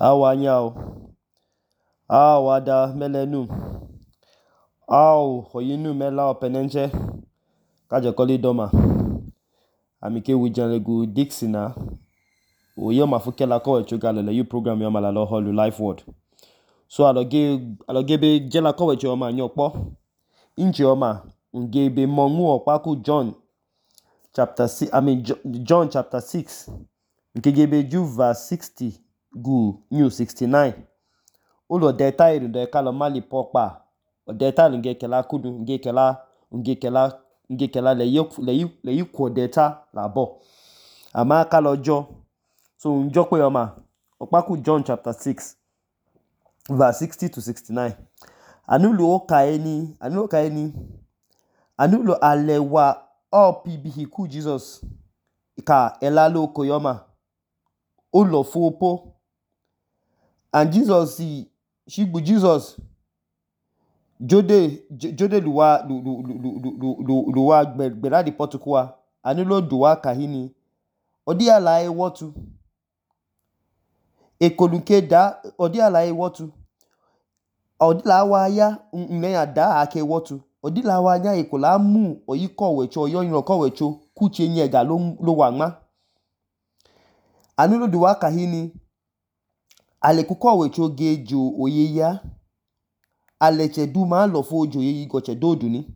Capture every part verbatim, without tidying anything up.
Awanyao, awada melenu, aw hoyinu mela openenche, kaja koli doma. Amike wijanlegu Dixina, oyo mafukela ko echuga lele yu program yo malalo holu life word. So aloge aloge jela ko wecho ma nyokpo. Inji oma ngebe mongu okpaku John chapter six, I mean John chapter six. Nkegebe ju verse sixty gu new sixty-nine. Ulo deta iru de kalo mali pokpa. Deta nge kela kudu nge kela nge kela nge kela le yu le yu le yu ko deta labo. Ama kalo jo. So njo pe oma okpaku John chapter six verse sixty to sixty-nine. Anulo okaeni, anulo okaeni. Anulo alewa opibihiku Jesus. Ka elalo koyoma. Ulo fopo. And Jesus si shibu Jesus jode jode luwa lu lu lu lu lu luwa gbera di potukwa. Anulo duwa kahini. Odi ala e wotu. Ekolunke da odi ala e wotu. Odi la wa ya nne ya da ake wotu. Odi la wa ya ekola mu oyiko wecho oyoyin ko wecho kuche nyega lo lo wangma. Anulo duwa kahini. Ale kuko wecho gejo oyeya. Ale che duma lo fojo yeyi goche dodu ni.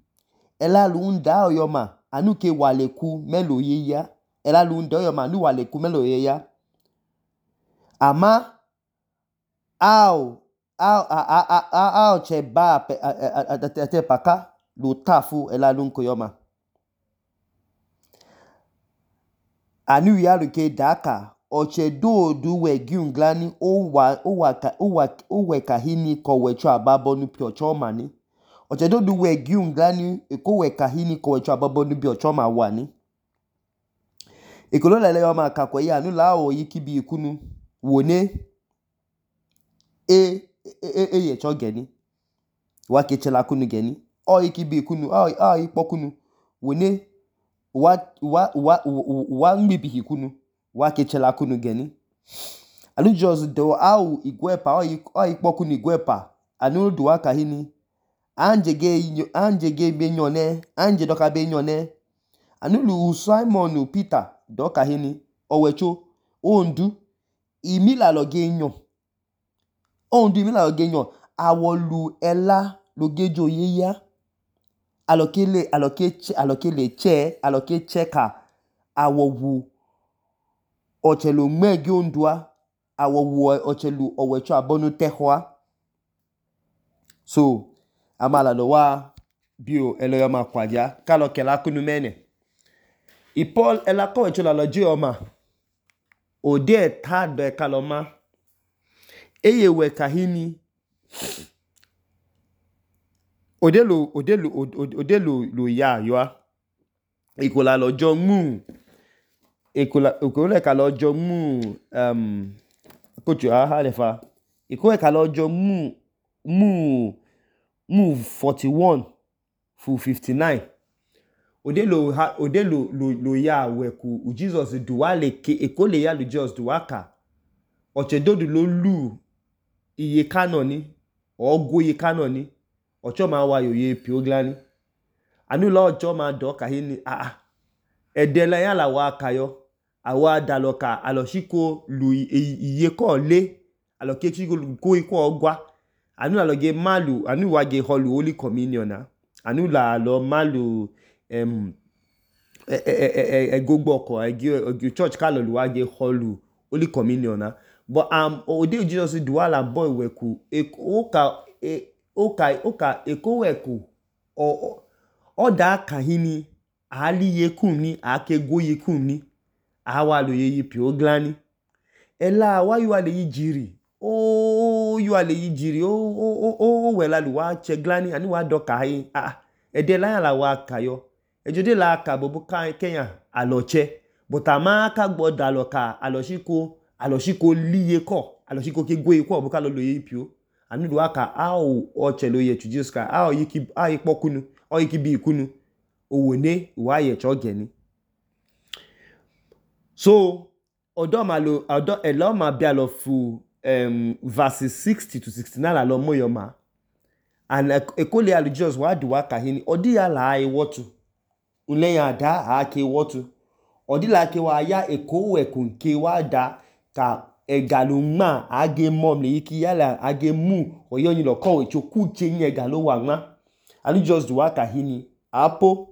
Ela lu nda oyoma anu ke wale ku melo yeya. Ela lu nda oyoma anu wale ku melo yeya. Ama au au a a a a au che ba ate paka lu tafu ela lu nkoyoma. Anu ya luke daka oche dodu we giunglani owa owa owa owe kahini ko wecho ababonu pi ochoma ni. Oche dodu we giunglani eko we kahini ko wecho ababonu bi ochoma wani. Ekolo lele yoma kakwe ya anu la o yikibi ikunu wone e e e ye cho geni. Wa kechela kunu geni. O yikibi ikunu o o yipokunu wone wa wa wa wa ngibihi kunu wa kechela kunu geni. Anu just do au igwepa o o yipokunu igwepa anu duwa kahini anje ge anje ge be nyone anje doka be nyone anu lu Simon Peter doka hini owecho ondu imila lo ge nyon ondu imila lo ge nyon awolu ela lo gejo yeya alokele aloke alokele che aloke cheka awowu ochelu megi ondua awowu ochelu owecho abonu tehwa. So amala lo wa bio eloyoma kwadia kalo kela kunu mene I Paul ela ko wecho la lo jioma ode ta do kaloma eye we kahini odelo odelo odelo lo ya yoa ikola lo jo mu ikola ikola ka lo jo mu um kochu aha lefa ikola ka lo jo mu mu mu forty-one fu fifty-nine odelo ha odelo lo lo ya we ku Jesus duwa le ke ekole ya lu Jesus duwa ka oche dodu lo lu iye kanoni ogo iye kanoni ocho ma wa yoye pioglani anu lo ocho ma do kahini ah ah edela ya la wa kayo awa daloka aloshiko lu iye ko le alokechi ko iko ogwa anu aloge malu anu wa ge holu holy communion na anu la lo malu em e e e gogbo ko e church ka lo lu wa ge holu holy communion na but am ode Jesus duwa la boy weku o ka o ka o ka eko weku o o da kahini ali yekun ni ake go yekun ni awa lo yeyi pioglani ela wa yu ale yijiri o yu ale yijiri o o o we la lu wa cheglani ani wa doka hi ah ede la la wa kayo ejode la ka bobu kan Kenya aloche but ama ka gboda loka aloshiko aloshiko liye ko aloshiko ke go iko obuka lo lo yeyi pio anu do aka au o chelo ye tu Jesus ka au yiki au yipokunu o yiki bi ikunu owone wa ye cho geni. So odo ma lo odo elo ma bia lo fu um, verses sixty to sixty-nine alọ mọ yọma and ekole alu Jesus wa duwa kahini odi ya la ewotu unlẹyin ada ake ewotu odi la ke wa ya eko ekun ke wa da ka ega lo ma age mom le yiki yala age mu oyoyin lo ko echo ku che ega lo wa ma alu Jesus duwa kahini apo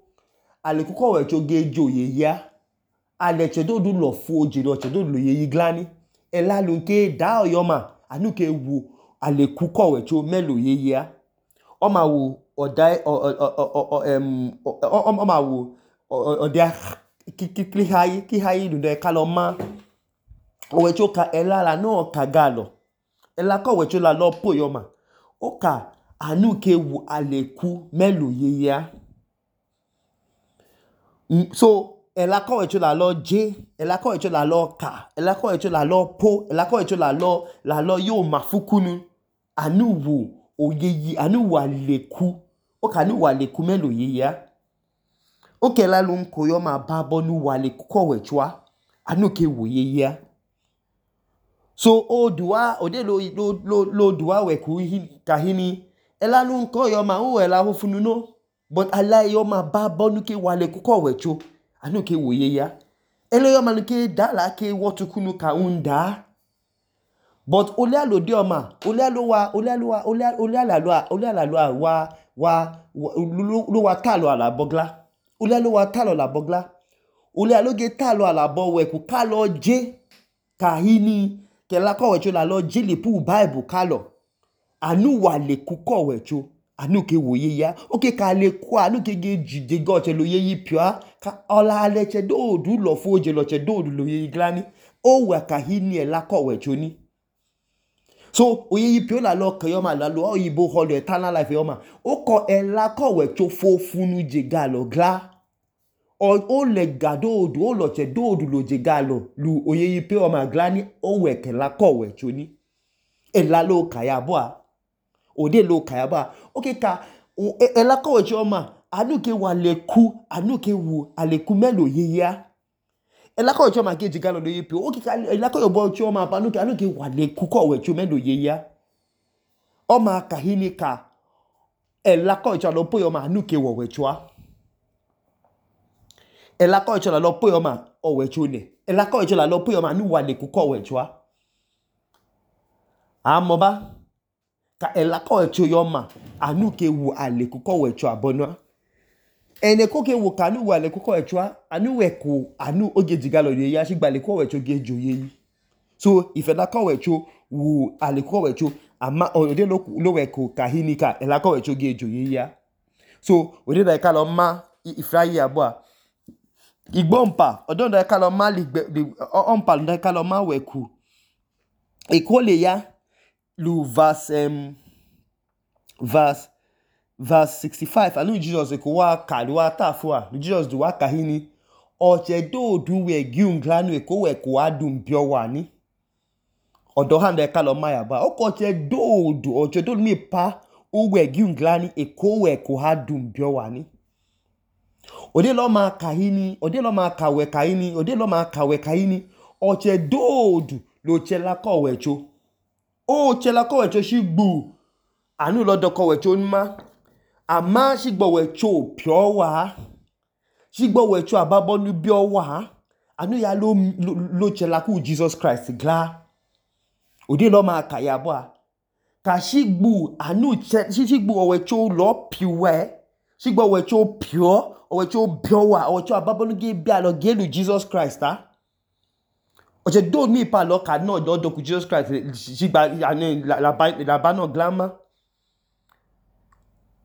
ale ku ko echo ge joye ya ale chedo du lo fu oje lo chedo lo ye iglani ela lo nke da oyoma anu ke wu ale ku ko echo melo ye ya o ma wo oda em o ma wo oda ki hayi ki hayi du de kaloma o echo ka ela la no ka galo ela ko wecho la lo po yoma o ka anu ke wu ale ku melo ye ya so ela ko wecho la lo je ela ko wecho la lo ka ela ko wecho la lo po ela ko wecho la lo la lo yo mafukunu anu wu oyeyi anu wa leku o ka nu wa leku melo ye ya o ke la lu nko yo ma babo nu wa leku ko wechwa anu ke wo ye ya so o duwa o de lo lo lo duwa we ku kahini ela lu nko yo ma o ela ho funu no but ala yo ma babo nu ke wa leku ko wecho anu ke wo ye ya ele yo ma nu ke da la ke wotu kunu ka unda but ole alo de oma ole alo wa ole alo wa ole ole alo ole alo wa wa lo wa talo ala bogla ole alo wa talo la bogla ole alo ge talo ala bo we ku ka lo je kahini ke la ko wecho la lo je le pu bible kalo anu wa le ku ko wecho anu ke wo ye ya oke ka le ku anu ke ge jide go che lo ye yi pia ka ola ale che do du lo fo je lo che do du lo ye glani o wa kahini e la ko wecho ni so oye yi pio la lo kan yo ma la lo oyibo holo eternal life yo ma o ko e la ko wecho fo funu je galo gla o o le gado du o lo che do du lo je galo lu oye yi pio ma glani o we ke la ko wecho ni e la lo kaya bo a o de lo kaya ba okay ka e la ko wecho ma anu ke wa le ku anu ke wu ale ku melo ye ya ela ko wecho ma ke je galo lo ye pio okay ka ela ko yo bo wecho ma anu ke anu ke wa le ku ko wecho melo ye ya o ma kahini ka ela ko wecho lo po yo ma anu ke wo wecho a ela ko wecho lo po yo ma o wecho ne ela ko wecho lo po yo ma anu wa le ku ko wecho a amo ba ka ela ko wecho yo ma anu ke wu ale ku ko wecho abono ene ko ke wu kanu wa le ku ko wecho a anu we ku anu oge jigalo ye ya sigba le ku wecho ge joye yi so ife la ko wecho wu ale ku wecho ama ode lo lo we ku kahini ka ela ko wecho ge joye ya so ode da ka lo ma ifrayi abo a igbompa odon da ka lo ma ligbe onpa da ka lo ma we ku ekole ya lu verse um, verse verse sixty-five anu Jesus ko wa ka do wa ta fo a Jesus do wa kahini o che do du we giun glanu e ko we ko adun bio wa ni odo han de ka lo ma ya ba o ko che do du o che do mi pa o we giun glani e ko we ko adun bio wa ni ode lo ma kahini ode lo ma ka we kahini ode lo ma ka we kahini o che do du lo che la ko we cho o che la ko we cho shi gbu anu lo do ko we cho nma ama shigbo wecho pio wa shigbo wecho ababo nu bio wa anu ya lo lo, lo chela ku Jesus Christ gla odi lo ma ka ya bo a ka shigbu anu shigbu wecho lo piwe shigbo wecho pio wecho bio wa wecho ababo nu ge bia lo ge lu Jesus Christ ah oje do mi pa lo ka no do do ku Jesus Christ shigba anu la la la ba no glama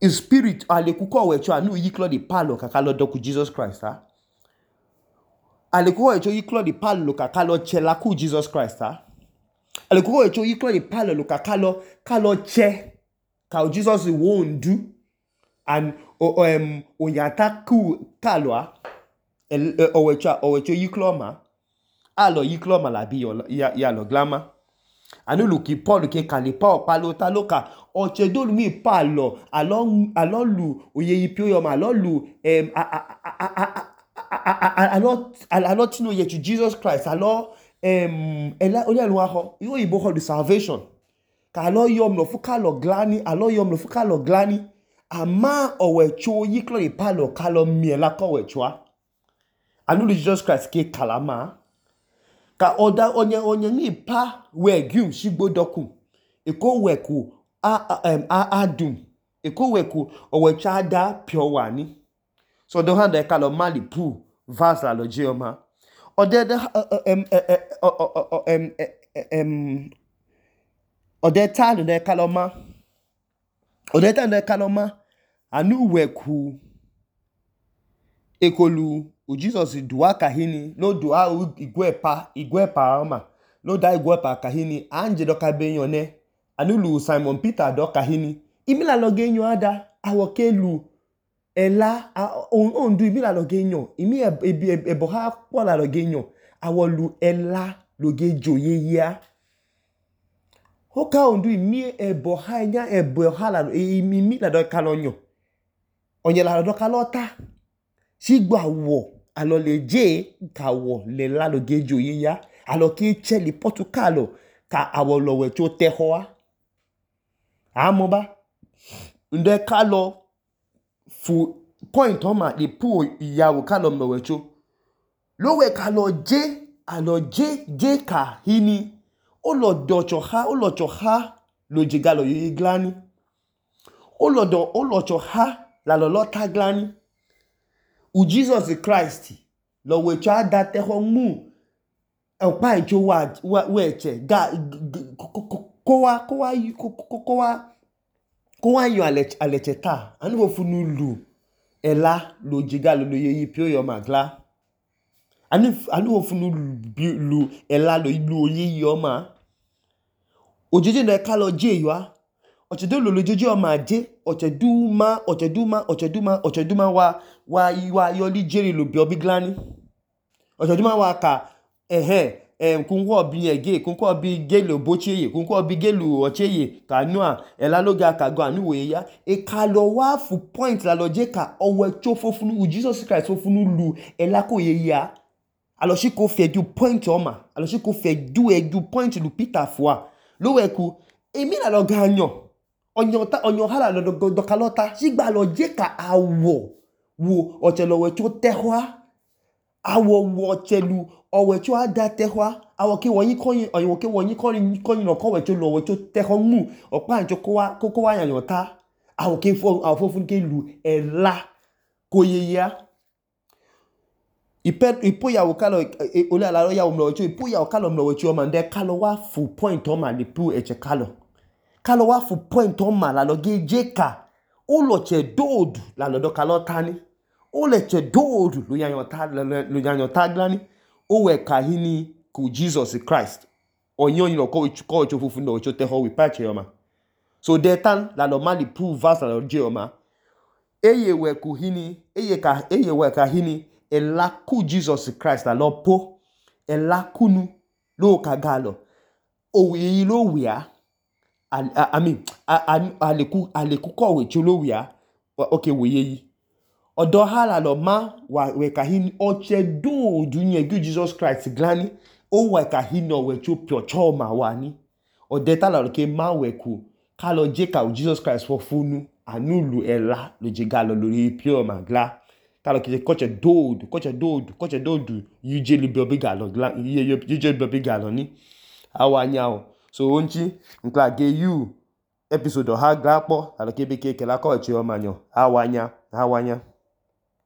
in spirit ale ku ko wecho anu yi klo di palo kaka lo doku Jesus Christ ha ale ku wecho yi klo di palo kaka lo chela ku Jesus Christ ha ale ku wecho yi klo di palo lo kaka lo kalo che ka Jesus won do and o um oyata ku kalo ha o wecho o wecho yi klo ma alo yi klo ma la bi ya ya lo glama anu lu ki Paul ke kalipa opalo ta loka o che do mi palo alo alo lu oye yi pio yo ma alo lu em alo alo tino ye to Jesus Christ alo em ela onye lu aho yo ibo ho the salvation ka lo yom lo fu ka lo glani alo yom lo fu ka lo glani ama owecho yiklo ipalo ka lo mie la ko wechwa anu Jesus Christ ke kalama ka oda onye onye ni pa we gum shigbodoku eko weku a em a adum eko weku owecha ada pure wani so do handa ka lo mali pu verse la lo je oma ode de em em em ode ta no de kaloma ode ta de kaloma anu weku ekolu o Jesus dua kahini no dua igwepa igwepa oma no da igwepa kahini anje do ka beyan ne anu lu Simon Peter do kahini imila lo genyo ada awo kelu ela on du imila lo genyo imi ebo ha po la lo genyo awo lu ela lo gejo yeya hoka on du imi ebo ha nya ebo ha la imi mi la do kalonyo onye la do kalota sigbo awo alo le je ka wo le la lo gejo yeya alo ki cheli Portugal ka awo lo we to te ho a amo ba nde ka lo fu point on ma le pu iyawo ka lo mo we cho lo we ka lo je alo je je ka hini o lo do cho ha o lo cho ha lo je ga lo yi glani o lo do o lo cho ha la lo lo ta glani u Jesus Christ lo we cha da te ho mu e pa ijo wa we che ga ko wa ko wa ko wa ko wa yo ale ale cheta anu wo funu lu ela lo jiga lo lo yi pio yo magla anu anu wo funu lu ela lo lu yi yo ma ojeje na ka lo je yo a ochedo lo lo jeje o ma je ocheduma ocheduma ocheduma ocheduma wa wa wa yo li jeri lo bi obi glani ocheduma wa ka ehe em kunwo bi ege kunwo bi gelo bocheye kunwo bi gelo ocheye kanua ela lo ga ka go anu we ya e ka lo wa fu point la lo je ka owe cho fofunu u Jesus Christ fofunu lu ela ko ye ya alo shi ko fe du point oma alo shi ko fe du e du point lu Peter fois lo we ku emi la lo ganyo onyo ta onyo hala lo do kalota sigba lo je ka awo wo ochelo we cho tehwa awo wo chelu owe cho ada tehwa awo ki won yin koyin oyin ki won yin koyin koyin no ko we cho lo we cho tehwa mu opa njo ko wa ko ko wa yan ta awo ki fo awo fofun ke lu ela ko yeya ipe ipo ya wo kalo ole ala lo ya wo mlo cho ipo ya wo kalo mlo we cho ma nde kalo wa full point o ma le pu eche kalo kalo wa full point o ma la lo ge jeka o lo che dodu la lo do kalo tani o le che dodu lo yan ta lo yan ta glani o we ka hini ku Jesus Christ onyo yin ko ko cho fufu no cho te ho we pa che o ma so de tan la lo ma le pu verse la lo je o ma eye we ku hini eye ka eye we ka hini ela ku Jesus Christ la lo po ela kunu lo ka galo o wi lo wi a I mean aleku aleku ko we chi lo wi a okay we yi odo hala lo ma wa we ka hin oche do du yen gu Jesus Christ glani o wa ka hin no we chu pio cho ma wa ni o de ta la ke ma we ku ka lo je ka Jesus Christ fo funu anulu ela lo je galo lori pio ma gla talo ki ko che do ko che do ko che do du yu je li bi galo gla yu je bi galo ni awanya o so onchi nkla ge you episode ha gla po talo ke be ke ke la ko che o manyo awanya awanya